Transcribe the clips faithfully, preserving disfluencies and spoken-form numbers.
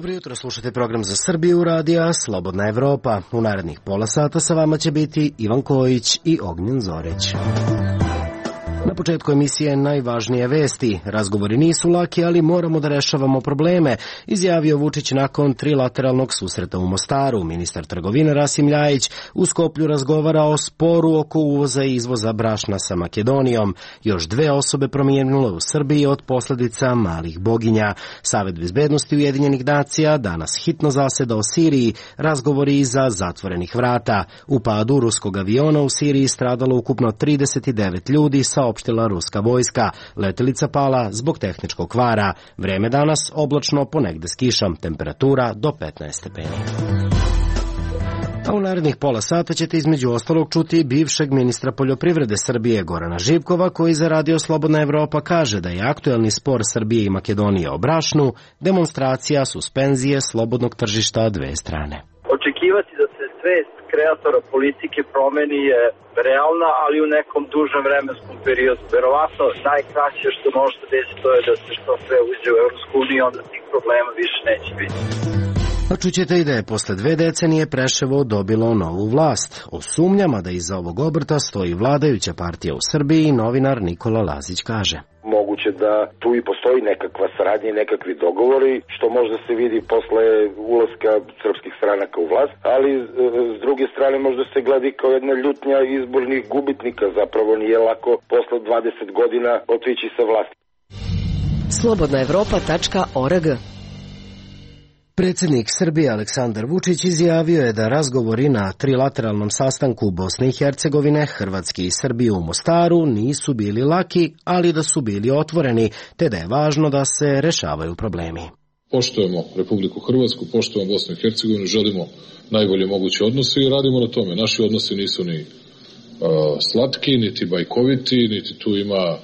Dobro jutro, slušate program za Srbiju radija Slobodna Evropa. U narednih pola sata sa vama će biti Ivan Kojić i Ognjen Zoreć. Na početku emisije najvažnije vesti. Razgovori nisu laki, ali moramo da rešavamo probleme, izjavio Vučić nakon trilateralnog susreta u Mostaru. Ministar trgovine Rasim Ljajić u Skoplju razgovara o sporu oko uvoza i izvoza brašna sa Makedonijom. Još dve osobe prominule u Srbiji od posledica malih boginja. Savet bezbednosti Ujedinjenih nacija danas hitno zaseda o Siriji, razgovori iza zatvorenih vrata. U padu ruskog aviona u Siriji stradalo ukupno trideset devet ljudi, saopštila ruska vojska. Letelica pala zbog tehničkog kvara. Vreme danas oblačno, ponegde s kišom, temperatura do petnaest stepeni. A u narednih pola sata ćete između ostalog čuti bivšeg ministra poljoprivrede Srbije Gorana Živkova, koji za Radio Slobodna Evropa kaže da je aktuelni spor Srbije i Makedonije o brašnu demonstracija suspenzije slobodnog tržišta dve strane. Očekivati da se svest kreatora politike promeni je realna, ali u nekom dužem vremenskom periodu. Verovatno najkraće što može da desi to je da se što sve uđe u Evropsku uniju, onda tih problema više neće biti. A čućete i da je posle dve decenije Preševo dobilo novu vlast. O sumnjama da iza ovog obrta stoji vladajuća partija u Srbiji, novinar Nikola Lazić kaže. Moguće da tu i postoji nekakva saradnja i nekakvi dogovori, što možda se vidi posle ulaska srpskih stranaka u vlast, ali s druge strane možda se gleda kao jedna ljutnja izbornih gubitnika. Zapravo nije lako posle dvadeset godina otići sa vlasti. slobodna evropa tačka org. Predsjednik Srbije Aleksandar Vučić izjavio je da razgovori na trilateralnom sastanku Bosne i Hercegovine, Hrvatske i Srbije u Mostaru nisu bili laki, ali da su bili otvoreni, te da je važno da se rešavaju problemi. Poštujemo Republiku Hrvatsku, poštujemo Bosnu i Hercegovinu, želimo najbolje moguće odnose i radimo na tome. Naši odnosi nisu ni uh, slatki, niti bajkoviti, niti tu ima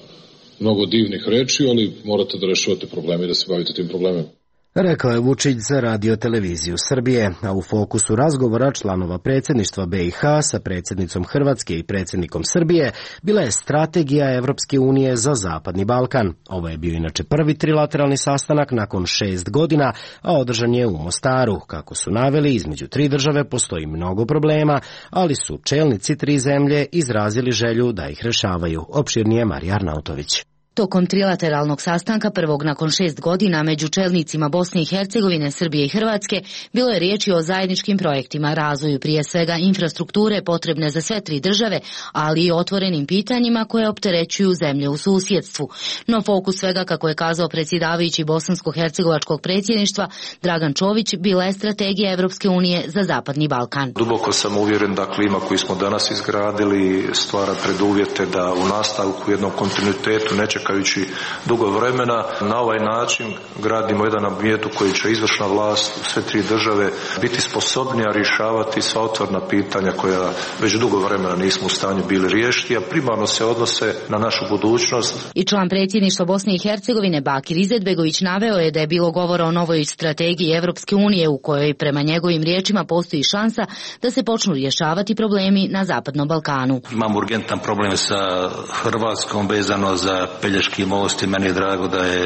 mnogo divnih reči, ali morate da rešavate probleme i da se bavite tim problemima. Rekao je Vučić za Radio televiziju Srbije, a u fokusu razgovora članova predsjedništva B i H sa predsjednicom Hrvatske i predsjednikom Srbije bila je strategija Evropske unije za Zapadni Balkan. Ovo je bio inače prvi trilateralni sastanak nakon šest godina, a održan je u Mostaru. Kako su naveli, između tri države postoji mnogo problema, ali su čelnici tri zemlje izrazili želju da ih rešavaju. Opširnije Marija Arnautović. Tokom trilateralnog sastanka prvog nakon šest godina među čelnicima Bosne i Hercegovine, Srbije i Hrvatske bilo je riječi o zajedničkim projektima, razvoju prije svega infrastrukture potrebne za sve tri države, ali i otvorenim pitanjima koje opterećuju zemlje u susjedstvu. No fokus svega, kako je kazao predsjedavajući bosansko-hercegovačkog predsjedništva Dragan Čović, bila je strategija Evropske unije za Zapadni Balkan. Duboko sam uvjeren da klima koju smo danas izgradili stvara preduvjete da u nastavku jednom kontinuitetu neće čekajući dugo vremena. Na ovaj način gradimo jedan ambijent u koji će izvršna vlast u sve tri države biti sposobnija rješavati sva otvorena pitanja koja već dugo vremena nismo u stanju bili riješiti, a primarno se odnose na našu budućnost. I član predsjedništva Bosne i Hercegovine Bakir Izetbegović naveo je da je bilo govora o novoj strategiji Evropske unije u kojoj prema njegovim riječima postoji šansa da se počnu rješavati problemi na Zapadnom Balkanu. Imamo urgentan problem sa Hrvatskom vezano za Pelješki most i meni je drago da je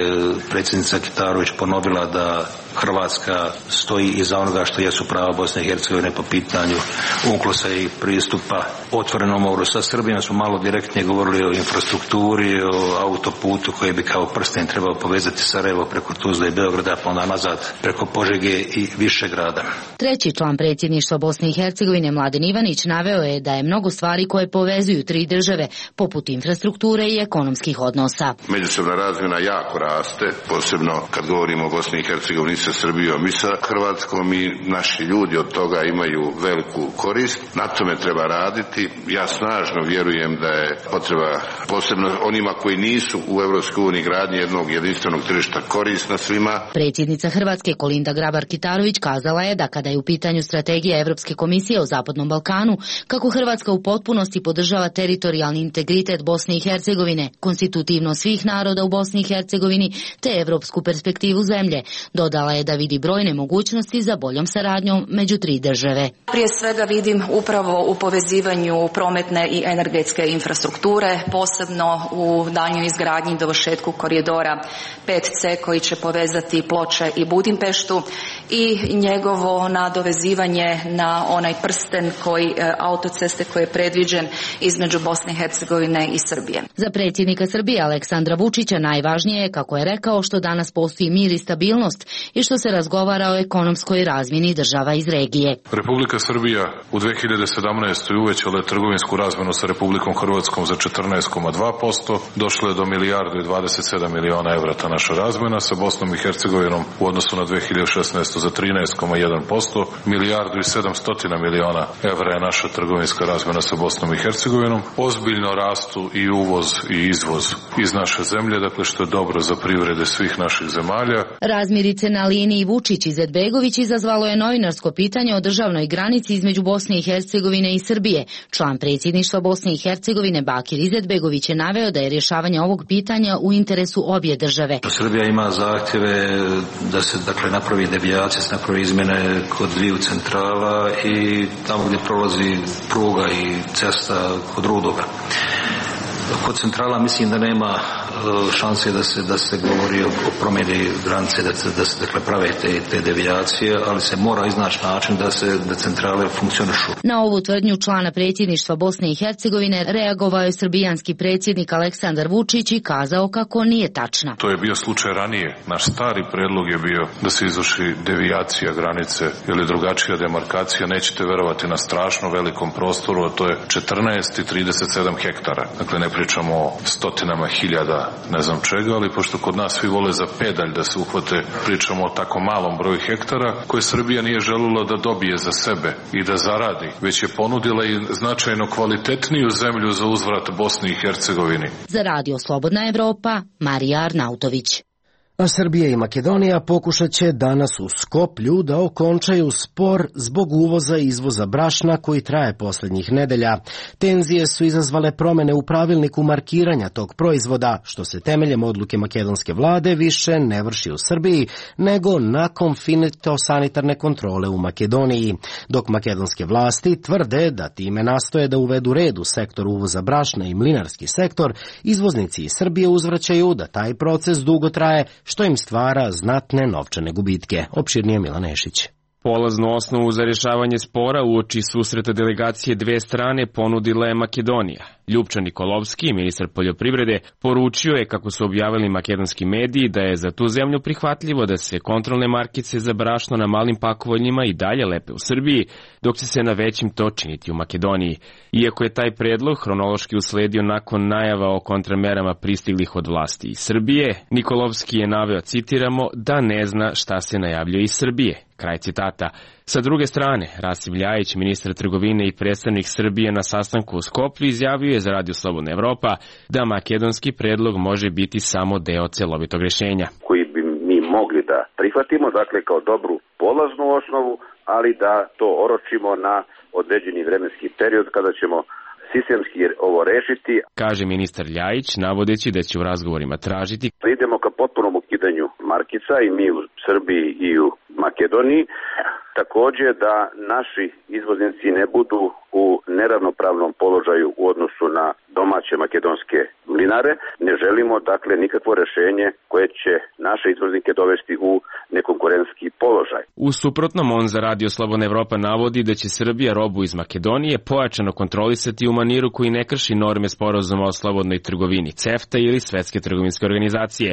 predsjednica Kitarović ponovila da Hrvatska stoji iza onoga što jesu prava Bosne i Hercegovine po pitanju unklosa i pristupa otvorenom moru. Sa Srbijom smo malo direktnije govorili o infrastrukturi, o autoputu koji bi kao prsten trebao povezati Sarajevo preko Tuzle i Beograda, pa onda nazad preko Požege i Višegrada. Treći član predsjedništva Bosne i Hercegovine Mladen Ivanić naveo je da je mnogo stvari koje povezuju tri države, poput infrastrukture i ekonomskih odnosa. Međusobna razmjena jako raste, posebno kad govorimo o Bosni i Hercegovini sa Srbijom i sa Hrvatskom, i naši ljudi od toga imaju veliku korist. Na tome treba raditi. Ja snažno vjerujem da je potreba, posebno onima koji nisu u Evropskoj uniji, gradnje jednog jedinstvenog tržišta korisna svima. Predsjednica Hrvatske Kolinda Grabar-Kitarović kazala je da kada je u pitanju strategija Evropske komisije o Zapadnom Balkanu, kako Hrvatska u potpunosti podržava teritorijalni integritet Bosne i Hercegovine, konstitutivno svih naroda u Bosni i Hercegovini te evropsku perspektivu zemlje. Dodala je da vidi brojne mogućnosti za boljom saradnjom među tri države. Prije svega vidim upravo u povezivanju prometne i energetske infrastrukture, posebno u daljnjoj izgradnji i dovršetku koridora pet ce koji će povezati Ploče i Budimpeštu, i njegovo nadovezivanje na onaj prsten koji, autoceste koji je predviđen između Bosne i Hercegovine i Srbije. Za predsjednika Srbije Aleksandra Vučića najvažnije je, kako je rekao, što danas postoji mir i stabilnost i što se razgovara o ekonomskoj razmjeni država iz regije. Republika Srbija u dve hiljade sedamnaestoj. uvećala je trgovinsku razmjenu sa Republikom Hrvatskom za četrnaest zarez dva posto, došlo je do milijardu i dvadeset sedam miliona evra ta naša razmjena, sa Bosnom i Hercegovinom u odnosu na dve hiljade šesnaestu. za trinaest zarez jedan posto, milijardu i sedamsto miliona evra je naša trgovinska razmjena sa Bosnom i Hercegovinom. Ozbiljno rastu i uvoz i izvoz iz naše zemlje, dakle što je dobro za privrede svih naših zemalja. Razmirice na liniji Vučić-Izetbegović izazvalo je novinarsko pitanje o državnoj granici između Bosne i Hercegovine i Srbije. Član predsjedništva Bosne i Hercegovine Bakir Izetbegović je naveo da je rješavanje ovog pitanja u interesu obje države. Srbija ima zahtjeve da se dakle napravi devijacija, se napravi izmjene kod dviju centrala i tamo gdje prolazi pruga i cesta kod Rudoga. Kod centrala mislim da nema šanse da se da se govori o, o promjeni granice, da se da se dakle prave te te devijacije, ali se mora iznaći način da se da centrale funkcionišu. Na ovu tvrdnju člana predsjedništva Bosne i Hercegovine reagovao je srbijanski predsjednik Aleksandar Vučić i kazao kako nije tačna. To je bio slučaj ranije. Naš stari predlog je bio da se izvrši devijacija granice ili drugačija demarkacija. Nećete verovati, na strašno velikom prostoru, a to je četrnaest i trideset sedam hektara. Dakle, ne pričamo o stotinama hiljada ne znam čega, ali pošto kod nas svi vole za pedalj da se uhvate, pričamo o tako malom broju hektara koje Srbija nije željela da dobije za sebe i da zaradi, već je ponudila i značajno kvalitetniju zemlju za uzvrat Bosni i Hercegovini. Za Radio Slobodna Evropa, Marija Arnautović. A Srbija i Makedonija pokušat će danas u Skoplju da okončaju spor zbog uvoza i izvoza brašna koji traje posljednjih nedelja. Tenzije su izazvale promjene u pravilniku markiranja tog proizvoda, što se temeljem odluke makedonske vlade više ne vrši u Srbiji, nego nakon fitosanitarne kontrole u Makedoniji. Dok makedonske vlasti tvrde da time nastoje da uvedu red u sektor uvoza brašna i mlinarski sektor, izvoznici iz Srbije uzvraćaju da taj proces dugo traje, što im stvara znatne novčane gubitke. Opširnije Milan Nešić. Polaznu osnovu za rješavanje spora uoči susreta delegacije dve strane ponudila je Makedonija. Ljupča Nikolovski, ministar poljoprivrede, poručio je, kako su objavili makedonski mediji, da je za tu zemlju prihvatljivo da se kontrolne markice za brašno na malim pakovanjima i dalje lepe u Srbiji, dok će se na većim to činiti u Makedoniji. Iako je taj predlog hronološki usledio nakon najava o kontramerama pristiglih od vlasti iz Srbije, Nikolovski je naveo, citiramo, da ne zna šta se najavljuje iz Srbije. Kraj citata. Sa druge strane, Rasim Ljajić, ministar trgovine i predstavnik Srbije na sastanku u Skoplju, izjavio je za Radio Slobodna Evropa da makedonski predlog može biti samo deo celovitog rješenja. Koji bi mi mogli da prihvatimo, dakle kao dobru polaznu osnovu, ali da to oročimo na određeni vremenski period kada ćemo sistemski ovo rešiti. Kaže ministar Ljajić, navodeći da će u razgovorima tražiti da idemo ka potpunom ukidanju markica i mi u Srbiji i u Makedoniji. Također da naši izvoznici ne budu u neravnopravnom položaju u odnosu na domaće makedonske mlinare. Ne želimo dakle nikakvo rješenje koje će naše izvoznike dovesti u nekonkurentski položaj. U suprotnom, on za Radio Slobodna Evropa navodi da će Srbija robu iz Makedonije pojačano kontrolisati u maniru koji ne krši norme sporazuma o slobodnoj trgovini CEFTA ili Svetske trgovinske organizacije,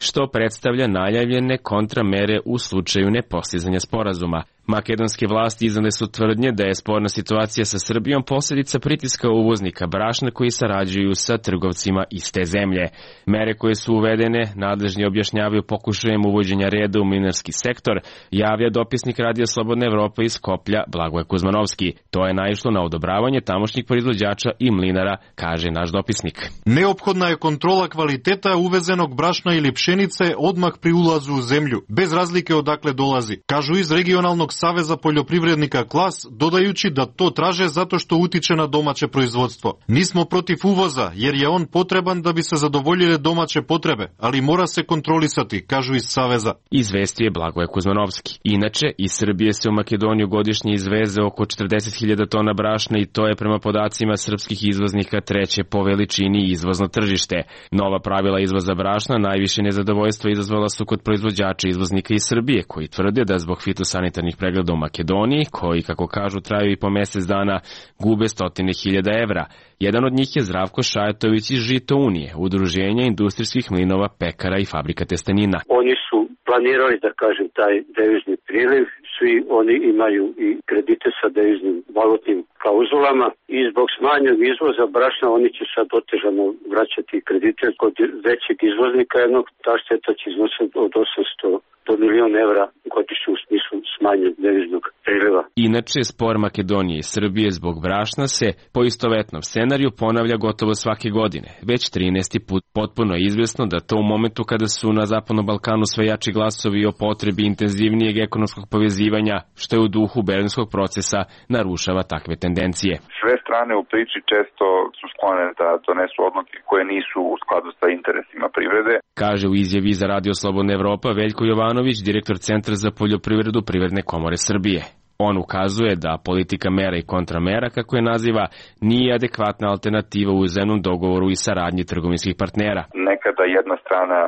što predstavlja najavljene kontramere u slučaju nepostizanja sporazuma. Makedonske vlasti iznale su tvrdnje da je sporna situacija sa Srbijom posljedica pritiska uvoznika brašna koji sarađuju sa trgovcima iste zemlje. Mere koje su uvedene, nadležni objašnjavaju pokušajem uvođenja reda u mlinarski sektor, javlja dopisnik Radio Slobodna Evropa iz Skoplja Blagoje Kuzmanovski. To je naišlo na odobravanje tamošnjih proizvođača i mlinara, kaže naš dopisnik. Neophodna je kontrola kvaliteta uvezenog brašna ili pšenice odmah pri ulazu u zemlju, bez razlike odakle dolazi, kažu iz regionalnog saveza poljoprivrednika Klas, dodajući da to traže zato što utiče na domaće proizvodstvo. Nismo protiv uvoza, jer je on potreban da bi se zadovoljile domaće potrebe, ali mora se kontrolisati, kažu iz saveza. Izvestio je Blagoje Kuzmanovski. Inače, iz Srbije se u Makedoniju godišnje izveze oko četrdeset hiljada tona brašna i to je prema podacima srpskih izvoznika treće po veličini izvozno tržište. Nova pravila izvoza brašna najviše nezadovoljstvo izazvala su kod proizvođača izvoznika iz Srbije, koji tvrde da zbog fitosanitarnih pregleda u Makedoniji, koji, kako kažu, traju i po mesec dana, gube stotine hiljada evra. Jedan od njih je Zdravko Šajatović iz Žito Unije, udruženja industrijskih mlinova, pekara i fabrika testenina. Oni su planirali, da kažem, taj devizni priliv, svi oni imaju i kredite sa deviznim valutnim klauzulama i zbog smanjenog izvoza brašna oni će sad otežano vraćati kredite kod većeg izvoznika jednog, ta šteta će iznositi od osamsto do milion evra godišnje u smislu smanjenog deviznog priliva. Inače, spor Makedonije i Srbije zbog brašna se po istovetnom scenariju ponavlja gotovo svake godine. Već trinaesti put potpuno je izvesno da to u momentu kada su na Zapadnom Balkanu sve jači glasovi o potrebi intenzivnijeg ekonomskog povezivanja, što je u duhu berlinskog procesa, narušava takve tendencije. Sve strane u priči često su sklone da donesu odluke koje nisu u skladu sa interesima privrede. Kaže u izjavi za Radio Slobodna Evropa Veljko Jovanović, direktor Centra za poljoprivredu Privredne komore Srbije. On ukazuje da politika mera i kontramera, kako je naziva, nije adekvatna alternativa u uzajamnom dogovoru i saradnji trgovinskih partnera. Nekada jedna strana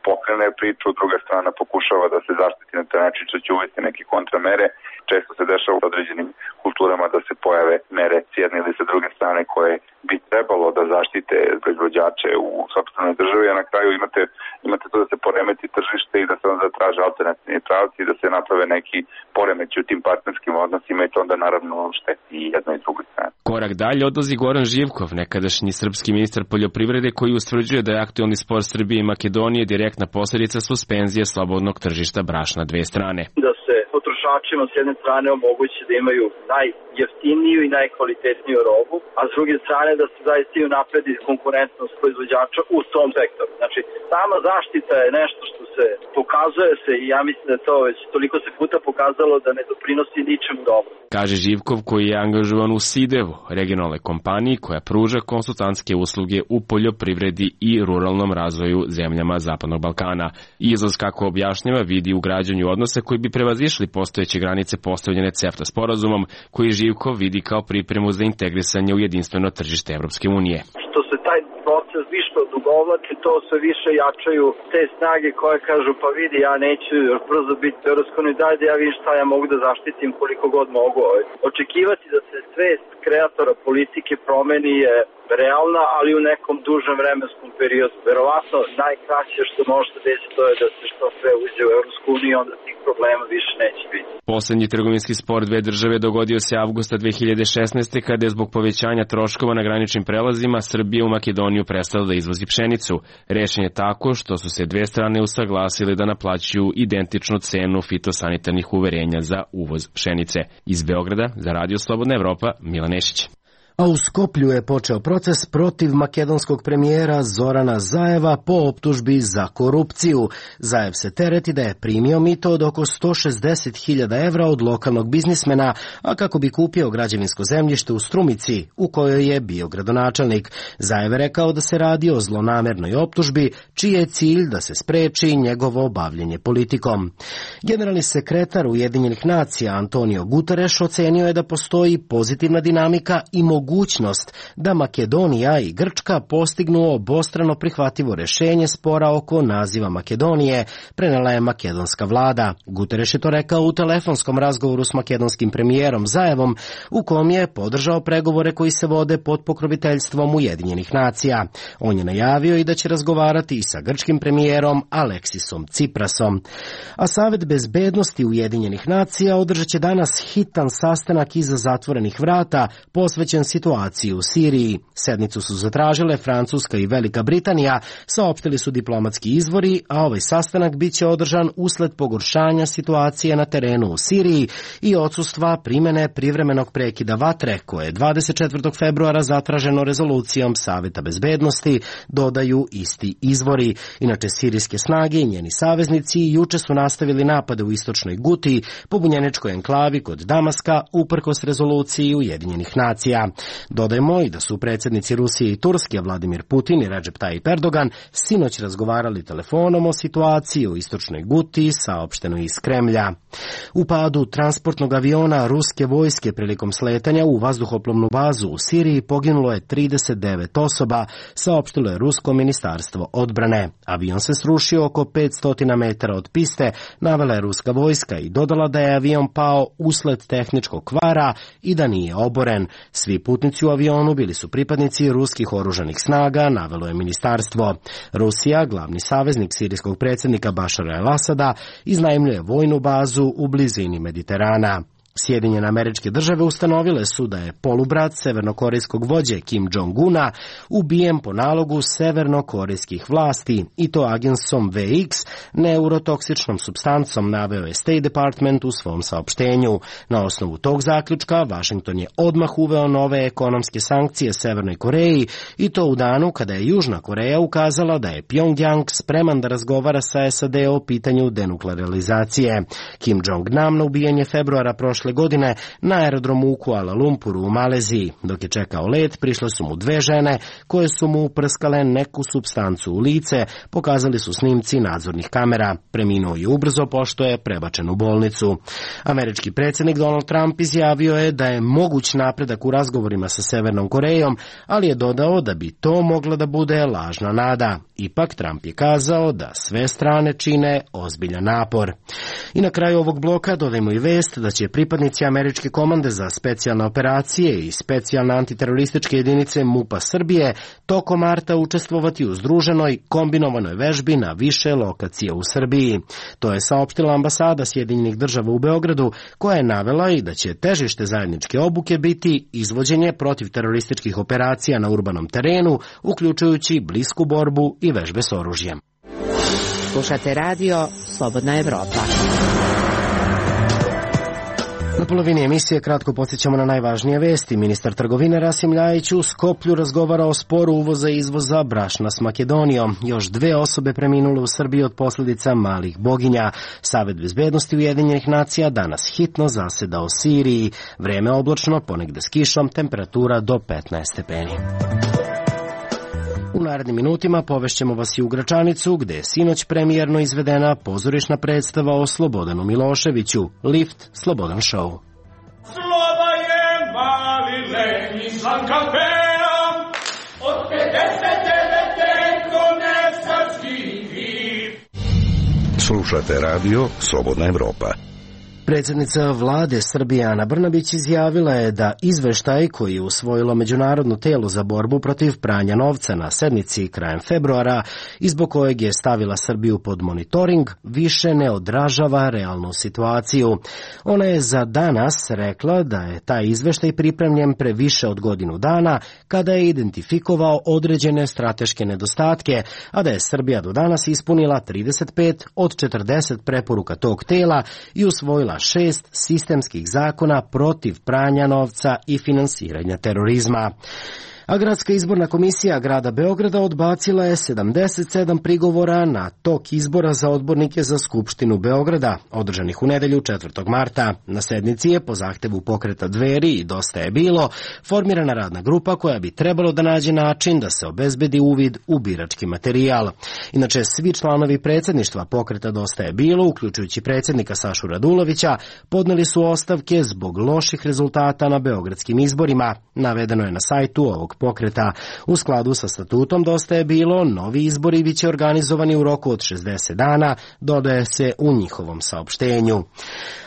pokrene priču, druga strana pokušava da se zaštiti na taj način što će uvesti neke kontramere. Često se dešava u određenim kulturama da se pojave mere s jedne ili sa druge strane koje bi trebalo da zaštite proizvođače u sopstvenoj državi, a na kraju imate, imate to da se poremeti tržište i da se onda traže alternativni pravci i da se naprave neki poremeći u tim partnerskim odnosima i to onda naravno šteti i jednoj i drugoj strane. Korak dalje odlazi Goran Živkov, nekadašnji srpski ministar poljoprivrede, koji ustvrđuje da je aktuelni spor Srbije i Makedonije direktna posledica suspenzije slobodnog tržišta brašna dve strane. Da se potrošačima s jedne strane omogući da imaju najjeftiniju i najkvalitetniju robu, a s druge strane da se zaista i napredi konkurentnost proizvođača u tom sektoru. Znači, sama zaštita je nešto što se pokazuje se i ja mislim da to već toliko se puta pokazalo da ne doprinosi ničemu dobro. Kaže Živkov, koji je angažovan u Sidevu, regionalnoj kompaniji koja pruža konsultantske usluge u poljoprivredi i ruralnom razvoju zemljama Zapadnog Balkana. Izlaz, kako objašnjava, vidi u građanju odnosa koji bi prevazišli postojeće granice postavljene CEFTA sporazumom, koji Živkov vidi kao pripremu za integrisanje u jedinstveno tržište Evropske unije. Što se taj proces više odugovlači, to sve više jačaju te snage koje kažu pa vidi, ja neću još brzo biti u Evropskoj uniji, daj da ja vidim šta ja mogu da zaštitim koliko god mogu. Očekivati da se svest kreatora politike promeni je realna, ali u nekom dužem vremenskom periodu. Verovatno najkraće što može da desi to je da se što sve uđe u Evropsku uniju, onda tih problema više neće biti. Poslednji trgovinski spor dve države dogodio se avgusta dve hiljade šesnaeste. kada je zbog povećanja troškova na graničnim prelazima Srbija u Makedoniju prestala da izvozi pšenicu. Rešen je tako što su se dve strane usaglasile da naplaćuju identičnu cenu fitosanitarnih uverenja za uvoz pšenice. Iz Beograda za Radio Slobodna Evropa, Milan Nešić. A u Skoplju je počeo proces protiv makedonskog premijera Zorana Zajeva po optužbi za korupciju. Zajev se tereti da je primio mito od oko sto šezdeset hiljada evra od lokalnog biznismena, a kako bi kupio građevinsko zemljište u Strumici, u kojoj je bio gradonačelnik. Zajev je rekao da se radi o zlonamernoj optužbi, čiji je cilj da se spreči njegovo bavljenje politikom. Generalni sekretar Ujedinjenih nacija Antonio Guterres ocenio je da postoji pozitivna dinamika i mogućnost mogućnost da Makedonija i Grčka postignu obostrano prihvatljivo rešenje spora oko naziva Makedonije, prenela je makedonska vlada. Guterres je to rekao u telefonskom razgovoru s makedonskim premijerom Zajevom, u kom je podržao pregovore koji se vode pod pokroviteljstvom Ujedinjenih nacija. On je najavio i da će razgovarati i sa grčkim premijerom Aleksisom Ciprasom. A Savet bezbednosti Ujedinjenih nacija održat će danas hitan sastanak iza zatvorenih vrata, posvećen situaciju u Siriji. Sednicu su zatražile Francuska i Velika Britanija, saopštili su diplomatski izvori, a ovaj sastanak biće održan usled pogoršanja situacije na terenu u Siriji i odsustva primene privremenog prekida vatre, koje je dvadeset četvrtog februara zatraženo rezolucijom Saveta bezbednosti, dodaju isti izvori. Inače, sirijske snage i njeni saveznici juče su nastavili napade u istočnoj Guti, pobunjeničkoj enklavi kod Damaska, uprkos rezoluciji Ujedinjenih nacija. Dodajmo i da su predsjednici Rusije i Turske, Vladimir Putin i Recep Tayyip Erdogan, sinoć razgovarali telefonom o situaciji u istočnoj Guti, saopšteno iz Kremlja. U padu transportnog aviona ruske vojske prilikom sletanja u vazduhoplovnu bazu u Siriji poginulo je trideset devet osoba, saopštilo je Rusko ministarstvo odbrane. Avion se srušio oko petsto metara od piste, navela je ruska vojska i dodala da je avion pao usled tehničkog kvara i da nije oboren. Svi putnici u avionu bili su pripadnici ruskih oružanih snaga, navelo je ministarstvo. Rusija, glavni saveznik sirijskog predsjednika Bašara el-Asada, iznajmljuje vojnu bazu u blizini Mediterana. Sjedinjene Američke Države ustanovile su da je polubrat severnokorejskog vođe Kim Jong-una ubijen po nalogu severnokorejskih vlasti, i to agensom V X, neurotoksičnom supstancom, naveo je State Department u svom saopštenju. Na osnovu tog zaključka Washington je odmah uveo nove ekonomske sankcije Severnoj Koreji, i to u danu kada je Južna Koreja ukazala da je Pyongyang spreman da razgovara sa S A D o pitanju denuklearizacije. Kim Jong-nam na ubijanje februara prošle godine na aerodromu u Kuala Lumpuru u Maleziji. Dok je čekao let, prišle su mu dve žene koje su mu uprskale neku supstancu u lice, pokazali su snimci nadzornih kamera. Preminuo je ubrzo pošto je prebačen u bolnicu. Američki predsjednik Donald Trump izjavio je da je moguć napredak u razgovorima sa Severnom Korejom, ali je dodao da bi to mogla da bude lažna nada. Ipak Trump je kazao da sve strane čine ozbiljan napor. I na kraju ovog bloka dodajmo i vest da će pripadnici Američke komande za specijalne operacije i specijalne antiterorističke jedinice MUP-a Srbije tokom marta učestvovati u združenoj kombinovanoj vežbi na više lokacija u Srbiji. To je saopštila ambasada Sjedinjenih Država u Beogradu, koja je navela i da će težište zajedničke obuke biti izvođenje protivterorističkih operacija na urbanom terenu, uključujući blisku borbu i vežbe s oružjem. Slušate radio Slobodna Evropa. Na polovini emisije kratko podsjećamo na najvažnije vesti. Ministar trgovine Rasim Ljajić u Skoplju razgovara o sporu uvoza i izvoza brašna s Makedonijom. Još dve osobe preminule u Srbiji od posljedica malih boginja. Savet bezbednosti Ujedinjenih nacija danas hitno zaseda o Siriji. Vreme oblačno, ponegde s kišom, temperatura do petnaest stepeni. U narednim minutima povešćemo vas i u Gračanicu, gde je sinoć premijerno izvedena pozorišna predstava o Slobodanu Miloševiću, Lift Slobodan show. Sloba je mali letnji slan kampeom, od pedeset devete konesački vid. Slušate radio Slobodna Evropa. Predsjednica vlade Srbije Ana Brnabić izjavila je da izveštaj koji je usvojilo Međunarodno telo za borbu protiv pranja novca na sednici krajem februara i zbog kojeg je stavila Srbiju pod monitoring više ne odražava realnu situaciju. Ona je za danas rekla da je taj izveštaj pripremljen pre više od godinu dana kada je identifikovao određene strateške nedostatke, a da je Srbija do danas ispunila trideset pet od četrdeset preporuka tog tela i usvojila šest sistemskih zakona protiv pranja novca i finansiranja terorizma. A Gradska izborna komisija grada Beograda odbacila je sedamdeset sedam prigovora na tok izbora za odbornike za Skupštinu Beograda, održanih u nedelju četvrtog marta. Na sednici je po zahtevu pokreta Dveri i Dosta je bilo formirana radna grupa koja bi trebalo da nađe način da se obezbedi uvid u birački materijal. Inače, svi članovi predsjedništva pokreta Dosta je bilo, uključujući predsjednika Sašu Radulovića, podneli su ostavke zbog loših rezultata na beogradskim izborima. Navedeno je na sajtu ovog pokreta. U skladu sa statutom Dosta je bilo, novi izbori biće organizovani u roku od šezdeset dana, dodaje se u njihovom saopštenju.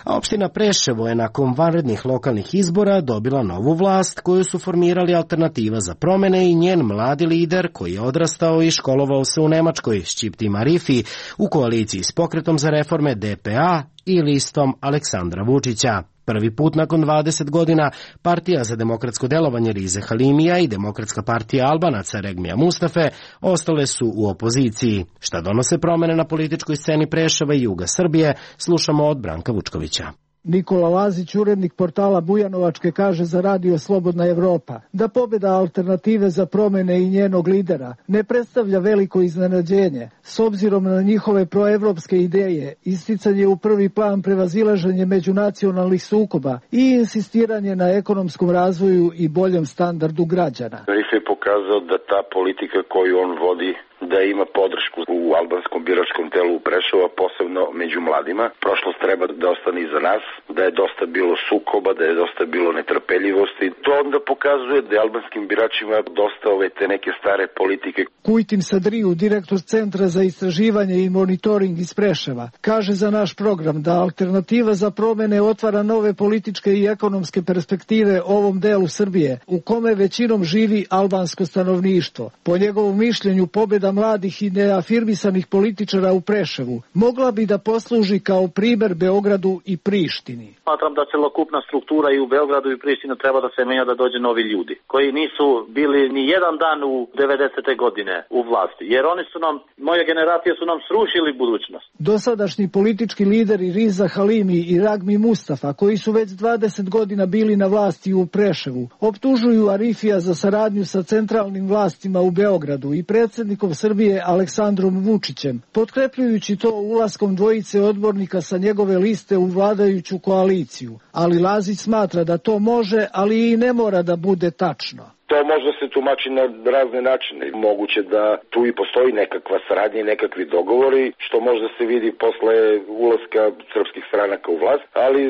A opština Preševo je nakon vanrednih lokalnih izbora dobila novu vlast koju su formirali Alternativa za promene i njen mladi lider koji je odrastao i školovao se u Nemačkoj, Šćipti Marifi, u koaliciji s Pokretom za reforme D P A i listom Aleksandra Vučića. Prvi put nakon dvadeset godina Partija za demokratsko delovanje Rize Halimija i Demokratska partija Albanaca Regmija Mustafe ostale su u opoziciji. Šta donose promene na političkoj sceni Preševa i juga Srbije, slušamo od Branka Vučkovića. Nikola Lazić, urednik portala Bujanovačke, kaže za radio Slobodna Evropa da pobjeda Alternative za promene i njenog lidera ne predstavlja veliko iznenađenje, s obzirom na njihove proevropske ideje, isticanje u prvi plan prevazilaženje međunacionalnih sukoba i insistiranje na ekonomskom razvoju i boljem standardu građana. Rif je pokazao da ta politika koju on vodi da ima podršku u albanskom biračkom telu u Preševu, posebno među mladima. Prošlost treba da ostane iza nas, da je dosta bilo sukoba, da je dosta bilo netrpeljivosti. To onda pokazuje da je albanskim biračima dosta ove te neke stare politike. Kujtim Sadriju, direktor Centra za istraživanje i monitoring iz Preševa, kaže za naš program da Alternativa za promene otvara nove političke i ekonomske perspektive ovom delu Srbije, u kome većinom živi albansko stanovništvo. Po njegovom mišljenju, pobjeda mladih i neafirmisanih političara u Preševu mogla bi da posluži kao primer Beogradu i Prištini. Smatram da celokupna struktura i u Beogradu i Prištini treba da se menja, da dođe novi ljudi koji nisu bili ni jedan dan u devedesete godine u vlasti, jer oni su nam, moje generacije su nam srušili budućnost. Dosadašnji politički lideri Riza Halimi i Ragmi Mustafa, koji su već dvadeset godina bili na vlasti u Preševu, optužuju Arifija za saradnju sa centralnim vlastima u Beogradu i predsjednikom Srbije Aleksandrom Vučićem, potkrepljujući to ulaskom dvojice odbornika sa njegove liste u vladajuću koaliciju. Ali Lazić smatra da to može, ali i ne mora da bude tačno. To može se tumači na razne načine. Moguće da tu i postoji nekakva saradnja i nekakvi dogovori, što možda se vidi posle ulaska srpskih stranaka u vlast, ali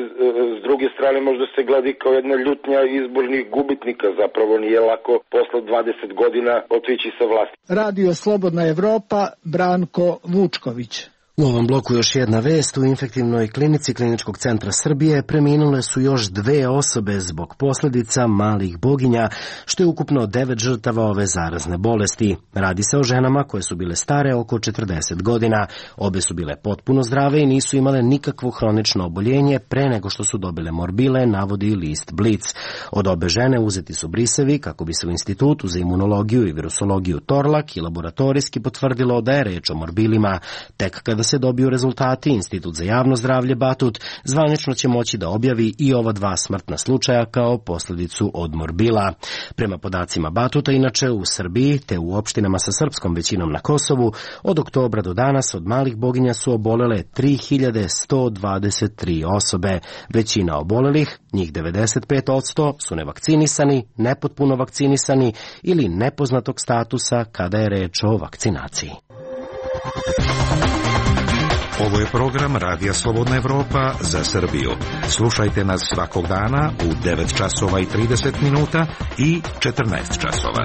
s druge strane možda se gleda kao jedna ljutnja izbornih gubitnika. Zapravo nije lako posle dvadeset godina otići sa vlasti. Radio Slobodna Evropa, Branko Vučković. U ovom bloku još jedna vest. U infektivnoj klinici Kliničkog centra Srbije preminule su još dve osobe zbog posljedica malih boginja, što je ukupno devet žrtava ove zarazne bolesti. Radi se o ženama koje su bile stare oko četrdeset godina. Obe su bile potpuno zdrave i nisu imale nikakvo hronično oboljenje pre nego što su dobile morbile, navodi list Blic. Od obe žene uzeti su brisevi kako bi se u Institutu za imunologiju i virusologiju Torlak i laboratorijski potvrdilo da je reč o morbilima. Tek kada se dobiju rezultati, Institut za javno zdravlje Batut zvanično će moći da objavi i ova dva smrtna slučaja kao posljedicu od morbila. Prema podacima Batuta, inače u Srbiji te u opštinama sa srpskom većinom na Kosovu, od oktobra do danas od malih boginja su obolele tri hiljade sto dvadeset tri osobe. Većina obolelih, njih devedeset pet posto, su nevakcinisani, nepotpuno vakcinisani ili nepoznatog statusa kada je reč o vakcinaciji. Ovo je program Radija Slobodna Evropa za Srbiju. Slušajte nas svakog dana u devet časova i trideset minuta i četrnaest časova.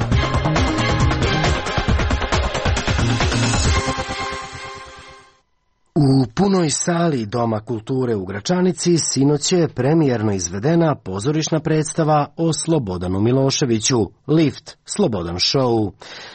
U punoj sali Doma kulture u Gračanici sinoć je premijerno izvedena pozorišna predstava o Slobodanu Miloševiću, Lift, Slobodan show.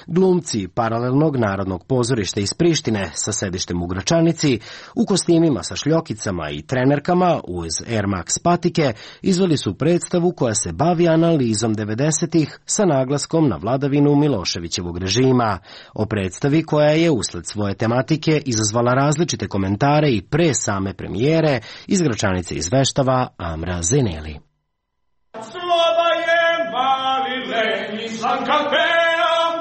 Glumci paralelnog narodnog pozorišta iz Prištine sa sedištem u Gračanici, u kostimima sa šljokicama i trenerkama uz Air Max patike, izveli su predstavu koja se bavi analizom devedesetih sa naglaskom na vladavinu Miloševićevog režima. O predstavi koja je usled svoje tematike izazvala različite komentare i pre same premijere, iz Gračanice izveštava Amra Zeneli. Sloba je mali lenji sam kapeom,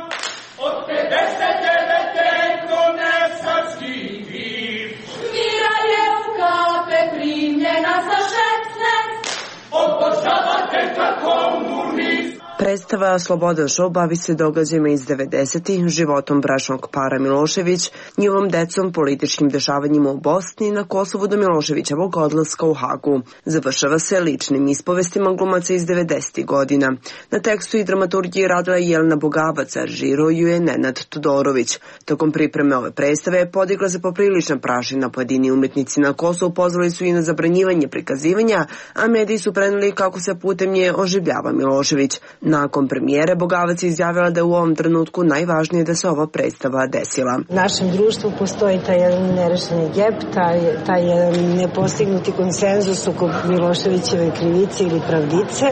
od pedeset devete konesarski vir. Mira je u kape primljena za šesnaest, obožavate kako komunist. Predstava Slobodan show bavi se događajima iz devedesetih, životom bračnog para Milošević, njihovom decom, političkim dešavanjima u Bosni i na Kosovu do Miloševićevog odlaska u Hagu. Završava se ličnim ispovestima glumaca iz devedesetih godina. Na tekstu i dramaturgiji radila je Jelena Bogavac, a režirao ju je Nenad Todorović. Tokom pripreme ove predstave podigla se poprilična prašina. Pojedini umetnici na Kosovu pozvali su i na zabranjivanje prikazivanja, a mediji su preneli kako se putem nje oživljava Milošević. Nakon premijere Bogavac je izjavila da je u ovom trenutku najvažnije da se ova predstava desila. U našem društvu postoji taj jedan nerešeni gep, taj, taj jedan nepostignuti konsenzus oko Miloševićeve krivice ili pravdice,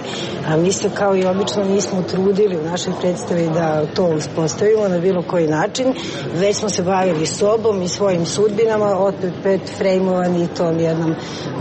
a mi se kao i obično nismo trudili u našoj predstavi da to uspostavimo na bilo koji način, već smo se bavili sobom i svojim sudbinama, opet frejmovani tom jednom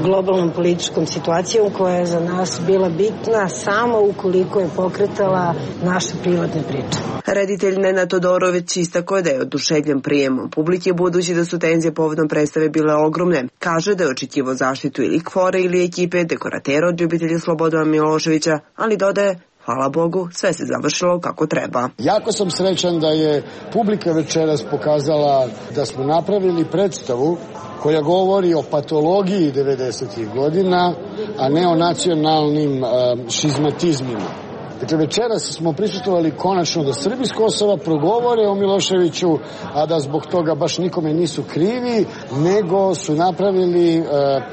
globalnom političkom situacijom koja je za nas bila bitna samo ukoliko je pokretala naše privatne priče. Reditelj Nenad Todorović istakao je da je oduševljen prijemom publike budući da su tenzije povodom predstave bile ogromne. Kaže da je očekivao zaštitu ili Kvore ili ekipe dekoratera od ljubitelja Slobodana Miloševića, ali dodaje: hvala Bogu, sve se završilo kako treba. Jako sam srećan da je publika večeras pokazala da smo napravili predstavu koja govori o patologiji devedesetih godina, a ne o nacionalnim uh, šizmatizmima. Dakle, večeras smo prisustvovali konačno da Srbi s Kosova progovore o Miloševiću, a da zbog toga baš nikome nisu krivi, nego su napravili e,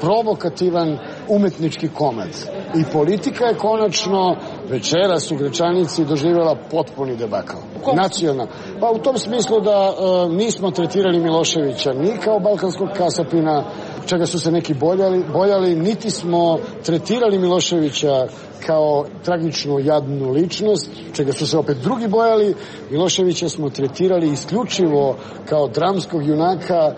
provokativan umetnički komad. I politika je konačno večeras u Gračanici doživjela potpuni debakl. Nacionalno. Pa u tom smislu da e, nismo tretirali Miloševića ni kao balkanskog kasapina, čega su se neki bojali, bojali, niti smo tretirali Miloševića kao tragičnu jadnu ličnost, čega su se opet drugi bojali. Miloševića smo tretirali isključivo kao dramskog junaka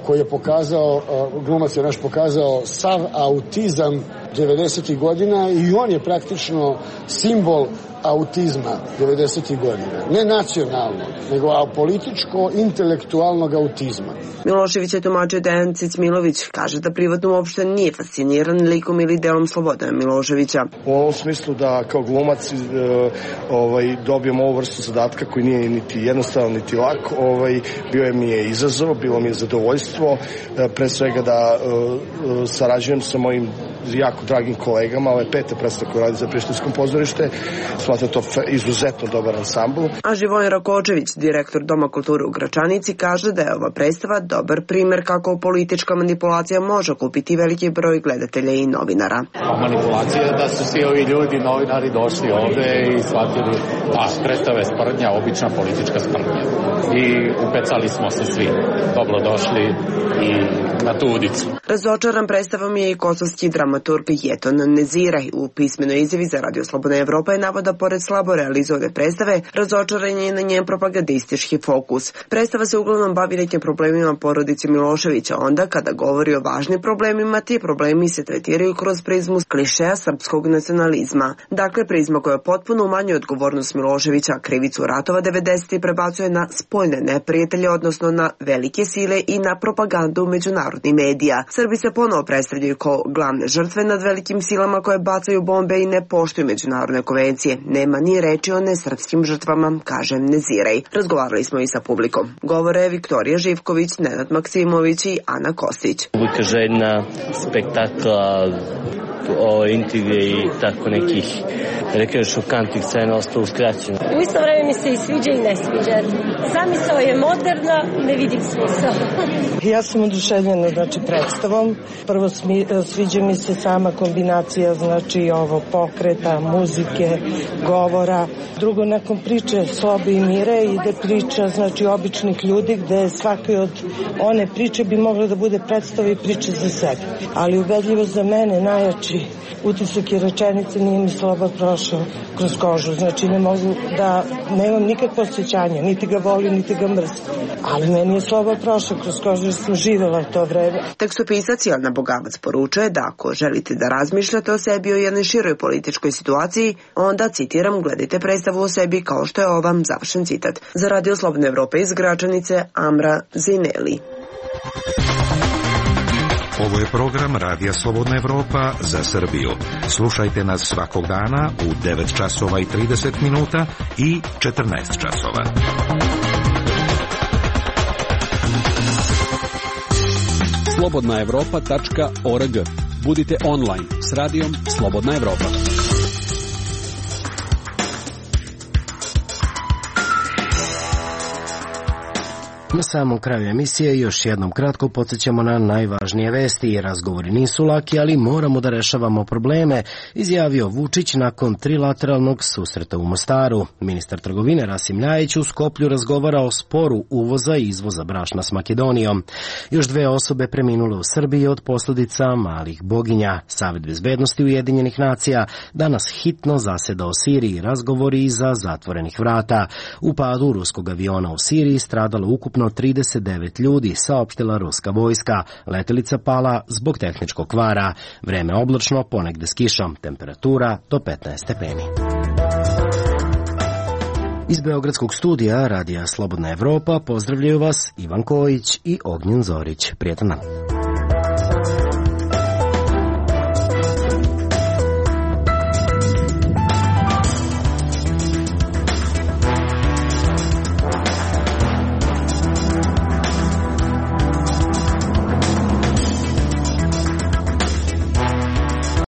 koji je pokazao, glumac je naš pokazao sav autizam devedesetih godina i on je praktično simbol autizma devedesetih godina. Ne nacionalno, nego političko-intelektualnog autizma. Milošević je tumačio Dejan Cicmilović, kaže da privatno uopšte nije fasciniran likom ili delom Slobodana Miloševića. U ovom smislu da kao glumac e, ovaj, dobijem ovu vrstu zadatka koji nije niti jednostavan niti lak, ovaj, bio je mi je izazov, bilo mi je zadovoljstvo, e, pre svega da e, sarađujem sa mojim jako dragim kolegama, ovo je peta predstava koja radi za Prištinskom pozorište, smatram to izuzetno dobar ansambl. A Živojin Rakočević, direktor Doma kulture u Gračanici, kaže da je ova predstava dobar primer kako politička manipulacija može kupiti veliki broj gledatelja i novinara. A manipulacija je da su svi ovi ljudi, novinari, došli ovde i shvatili da predstava je sprdnja, obična politička sprdnja. I upecali smo se svi. Dobro došli i na tu udicu. Razočaran predstavom je i kosovski dramaturg Jeton Neziraj. U pismenoj izjavi za Radio Slobodna Evropa je navoda pored slabo realizovane predstave, razočaran je na njen propagandistički fokus. Predstava se uglavnom bavi nekim problemima porodice Miloševića, onda kada govori o važnim problemima, ti problemi se tretiraju kroz prizmu klišeja srpskog nacionalizma. Dakle, prizma koja potpuno umanjuje odgovornost Miloševića, krivicu ratova devedesetih prebacuje na spoljne neprijatelje, odnosno na velike sile i na propagandu međunarodnih medija. Srbi se ponovo predstavljaju kao glavne žrtve nad velikim silama koje bacaju bombe i ne poštuju međunarodne konvencije. Nema ni reči o nesrpskim žrtvama, kaže Neziraj. Razgovarali smo i sa publikom. Govore Viktorija Živković, Nenad Maksimović i Ana Kostić. Publika željna spektakla, o intrige i tako nekih rekao šokantnih scena ostalo uskraćeno. U isto vreme mi se i sviđa i ne sviđa. Zamisao je moderna, ne vidim smisao. Ja sam oduševljena znači predstavom. Prvo smi, sviđa mi se sama kombinacija znači ovo pokreta, muzike, govora. Drugo, nakon priče Slobe i Mire ide priča znači običnih ljudi gde svaki od one priče bi mogla da bude predstava i priča za sebe. Ali ubedljivo za mene najjači utisak je rečenice nije mi Sloba prošao kroz kožu. Znači ne mogu da, nemam nikakvo osjećanje, niti ga volim, niti ga mrzim. Ali meni je Sloba prošao kroz kožu jer sam živjela to vreme. Tekstopisac Jelena Bogavac poručuje da ako želite da razmišljate o sebi o jednoj široj političkoj situaciji, onda, citiram, gledajte predstavu o sebi kao što je ova, završen citat. Za Radio Slobodne Evrope iz Gračanice, Amra Zineli. Ovo je program Radija Slobodna Evropa za Srbiju. Slušajte nas svakog dana u devet časova i trideset minuta i četrnaest časova. slobodna evropa tačka org. Budite online s radijom Slobodna Evropa. Na samom kraju emisije još jednom kratko podsjećamo na najvažnije vesti. Razgovori nisu laki, ali moramo da rešavamo probleme, izjavio Vučić nakon trilateralnog susreta u Mostaru. Ministar trgovine Rasim Ljajić u Skoplju razgovara o sporu uvoza i izvoza brašna s Makedonijom. Još dve osobe preminule u Srbiji od posljedica malih boginja. Savet bezbednosti Ujedinjenih nacija danas hitno zaseda o Siriji, razgovori iza zatvorenih vrata. U padu ruskog aviona u Siriji stradalo ukupno trideset devet ljudi, saopštila ruska vojska. Letelica pala zbog tehničkog kvara. Vreme oblačno, ponegde s kišom. Temperatura do petnaest stepeni. Iz Beogradskog studija Radija Slobodna Evropa pozdravljaju vas Ivan Kojić i Ognjen Zorić. Prijetan dan.